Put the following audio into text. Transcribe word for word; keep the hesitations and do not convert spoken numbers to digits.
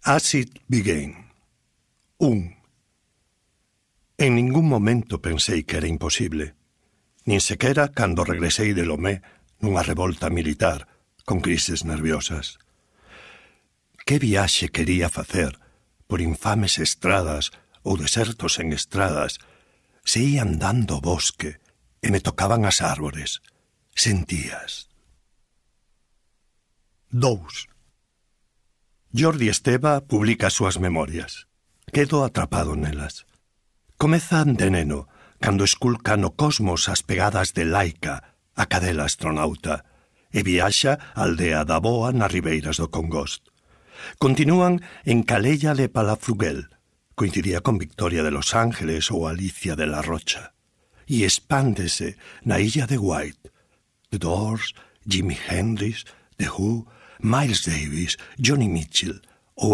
As it began. Un. En ningún momento pensei que era imposible, nin sequera cando regresei de Lomé nunha revolta militar con crises nerviosas. Que viaxe quería facer por infames estradas ou desertos en estradas se ia andando o bosque e me tocaban as árbores. Sentías. Dous. Jordi Esteva publica as súas memorias. Quedo atrapado nelas. Comezan de neno, cando esculca no cosmos as pegadas de Laika, a cadela astronauta, e viaxa á aldea da Boa nas ribeiras do Congost. Continúan en Calella de Palafrugell, coincidía con Victoria de Los Ángeles ou Alicia de la Rocha, e expándese na illa de White. The Doors, Jimi Hendrix, The Who, Miles Davis, Johnny Mitchell,